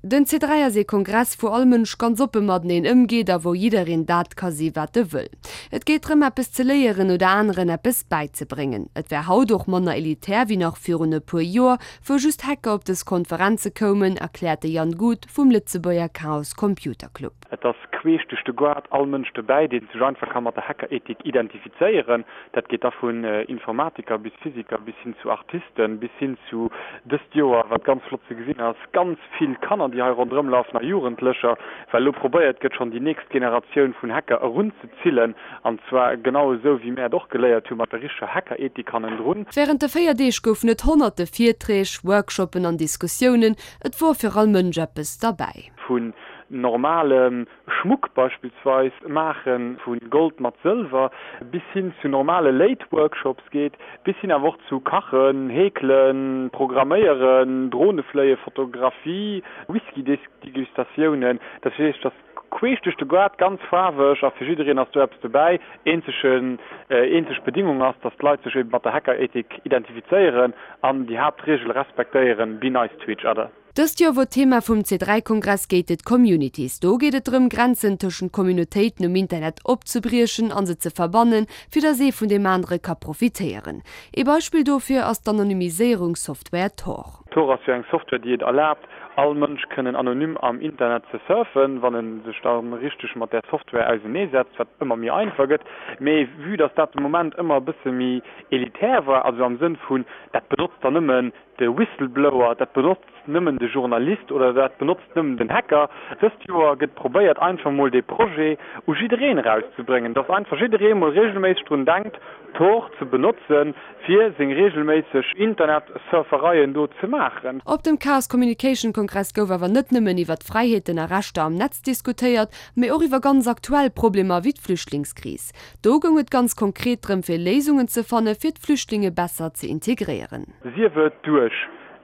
Den C3 ass ee Kongress, wou all Mënsch ganz oppe mateneen ëmgeet a wou jiddereen dat ka si wat e wëll. Et geet drëm eppes ze léieren oder aneren eppes bäizebréngen. Et wär haut och manner elitär wéi nach virun e puer Joer, wou just Hacker op dës Konferenze koumen, erkläert de Yann Guth vum Lëtzebuerger Chaos Computer Club. Et ass queesch duerch de Goart all Mënsch dobäi, dee sech einfach ka mat der Hackerethik identifizéieren. Dat geet da vun Informatiker bis Physiker bis hin zu Artisten, bis hin zu, dëst Joer, wat ganz flott ze gesinn ass, ganz vill Kanner, déi hei ronderëm lafen a Jugendlecher, well elo probéiert gëtt, schonn déi nächst Generatioun vun Hacker erunzezillen, an zwar genau esou, wéi mär et och geléiert hu mat der richteger Hackerethik hannendrun. Wärend de 4 Deeg goufen et honnerte Virträg, Workshoppen an Diskussiounen. Et wor fir all Mënsch eppes derbäi. Vun normalem Schmuck beispillsweis maache vu Gold mat Sëlwer, bis hin zu normale Léit-Workshops geet, bis hin awer och zu Kachen, Heekelen, Programméieren, Dronefléien, Fotografie, Whisky-Degustatiounen. Dat heescht, dass queesch duerch de Gaart, ganz faarweg a fir jiddereen ass do eppes dobäi. Eenzegen, eenzeg Bedingung ass, dass d'Leit sech eben mat der Hackerethik identifizéieren an déi Haaptreegel respektéieren, Be nice to each other. Dëst Joer wor d'Thema vum C3-Kongress Gated Communities. Do geet et drëm, Grenzen tëschent Communautéiten um Internet opzebriechen a se ze verbannen, fir datt ee vun deem anere ka profitéieren. Ee Beispill dofir ass d'Anonymiséierungssoftware Tor. Tor ass jo eng Software, déi et erlaabt, all Mënsch kënnen anonym am Internet ze surfen, wann e sech da richteg mat där Software auseneesetzt, wat ëmmer méi einfach gëtt. Mee vue datt dat de Moment ëmmer e bësse méi elitär war, also am Sënn vun, dat benotzt dann nëmmen de Whistleblower, dat benotzt nëmmen de Journalist oder dat benotzt nëmmen den Hacker. Dëst Joer gëtt probéiert einfach mol dee Projet u jiddereen erauszebréngen, dass einfach jidderee mol regelméisseg drun denkt Tor ze benotzen, fir seng regelméisseg Internet-Surfereien do ze maachen. Op dem Chaos Communication Kongress gouf awer net nëmmen iwwer d'Fräiheeten a Rechter am Netz diskutéiert, mee och iwwer ganz aktuell Problemer wéi d'Flüchtlingskris. Do goung et ganz konkret drëm fir Léisungen ze fanne fir d'Flüchtlinge besser ze integréieren. Sief et duerch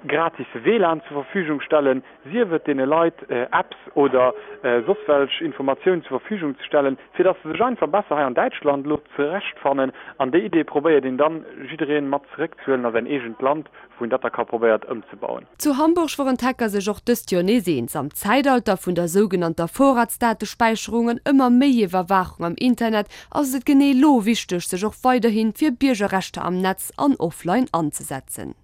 gratis WLAN zur Verfügung stellen, sief et deene Leit Apps oder soss welch Informatiounen zur Verfügung ze stellen, fir dass se sech einfach besser hei an Däitschland elo zurechtfannen. An déi Idee probéiert een dann jiddereen mat zeréckzehuelen a säin eegent Land, wou een dat da ka probéiert ëmzebauen. Zu Hamburg woren d'Hacker sech och dëst Joer nees eens. Am Zäitalter vun der sougenannter Vorratsdatespäicherung an ëmmer méi Iwwerwaachung am Internet ass et genee elo wichteg, sech och weiderhi fir Biergerrechter am Netz an offline anzesetzen.